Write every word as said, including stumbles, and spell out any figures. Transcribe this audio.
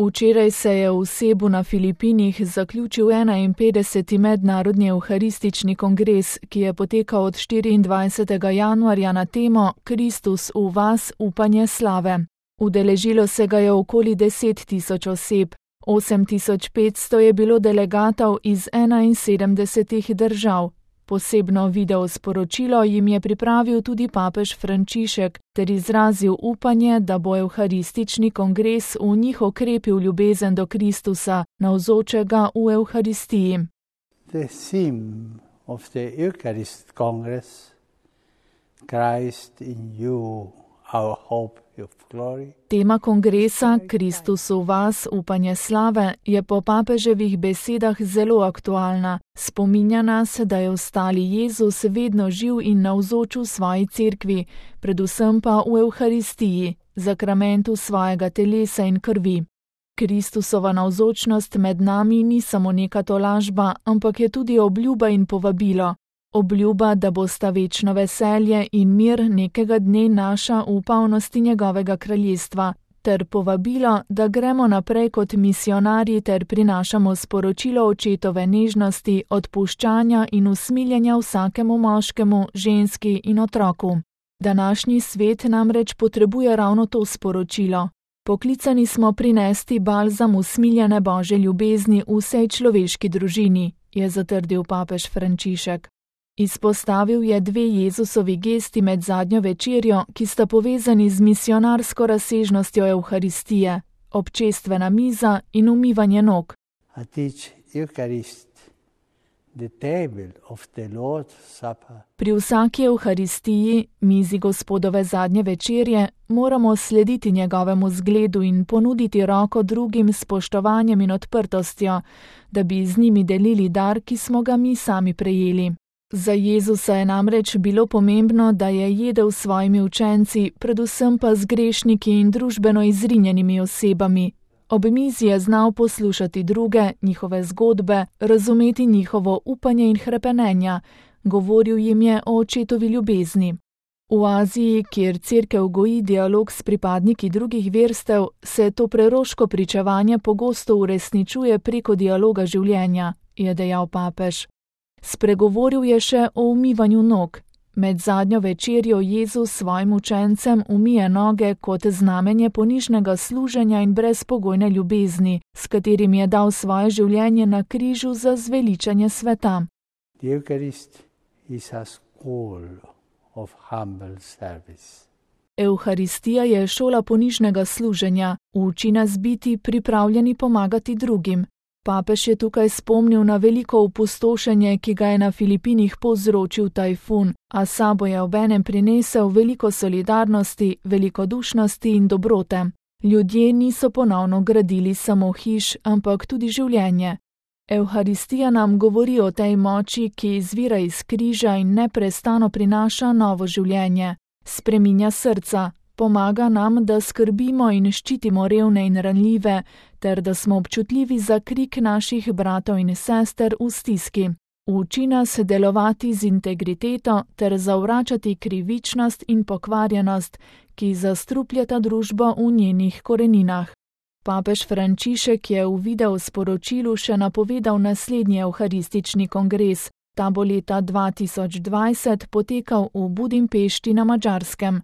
Včeraj se je v Cebu na Filipinih zaključil enainpetdeseti mednarodni evharistični kongres, ki je potekal od štiriindvajsetega januarja na temo Kristus v vas, upanje slave. Udeležilo se ga je okoli deset tisoč oseb, osem tisoč petsto je bilo delegatov iz enainsedemdesetih držav. Posebno video sporočilo jim je pripravil tudi papež Frančišek ter izrazil upanje, da bo evharistični kongres v njih okrepil ljubezen do Kristusa, navzočega v evharistiji. The theme of the Eucharist Congress, Christ in you, our hope of glory. Tema kongresa Kristus v vas, upanje slave, je po papeževih besedah zelo aktualna. Spominja nas, da je ostali Jezus vedno živ in navzoč v svoji cerkvi, predvsem pa v evharistiji, zakramentu svojega telesa in krvi. Kristusova navzočnost med nami ni samo neka tolažba, ampak je tudi obljuba in povabilo. Obljuba, da bosta večno veselje in mir nekega dne naša v polnosti njegovega kraljestva, ter povabilo, da gremo naprej kot misionarji ter prinašamo sporočilo očetove nežnosti, odpuščanja in usmiljenja vsakemu moškemu, ženski in otroku. Današnji svet namreč potrebuje ravno to sporočilo. Poklicani smo prinesti balzam usmiljene Božje ljubezni vsej človeški družini, je zatrdil papež Frančišek. Izpostavil je dve Jezusovi gesti med zadnjo večerjo, ki sta povezani z misionarsko razsežnostjo evharistije, občestvena miza in umivanje nog. At each Eucharist, the table of the Lord's Supper. Pri vsaki evharistiji, mizi Gospodove zadnje večerje, moramo slediti njegovemu zgledu in ponuditi roko drugim s spoštovanjem in odprtostjo, da bi z njimi delili dar, ki smo ga mi sami prejeli. Za Jezusa je namreč bilo pomembno, da je jedel s svojimi učenci, predvsem pa z grešniki in družbeno izrinjenimi osebami. Ob mizi je znal poslušati druge, njihove zgodbe, razumeti njihovo upanje in hrepenenja, govoril jim je o očetovi ljubezni. V Aziji, kjer cerkev goji dialog s pripadniki drugih verstev, se to preroško pričevanje pogosto uresničuje preko dialoga življenja, je dejal papež. Spregovoril je še o umivanju nog. Med zadnjo večerjo Jezus svojim učencem umije noge kot znamenje ponižnega služenja in brezpogojne ljubezni, s katerim je dal svoje življenje na križu za zveličanje sveta. The Eucharist is a school of humble service. Evharistija je šola ponižnega služenja, uči nas biti pripravljeni pomagati drugim. Papež je tukaj spomnil na veliko opustošenje, ki ga je na Filipinih povzročil tajfun, a sabo je obenem prinesel veliko solidarnosti, velikodušnosti in dobrote. Ljudje niso ponovno gradili samo hiš, ampak tudi življenje. Evharistija nam govori o tej moči, ki izvira iz križa in neprestano prinaša novo življenje. Spreminja srca. Pomaga nam, da skrbimo in ščitimo revne in ranljive, ter da smo občutljivi za krik naših bratov in sester v stiski. Uči nas delovati z integriteto ter zavračati krivičnost in pokvarjenost, ki zastrupljata družbo v njenih koreninah. Papež Frančišek je v video sporočilu še napovedal naslednji evharistični kongres. Ta bo leta dva tisoč dvajset potekal v Budimpešti na Madžarskem.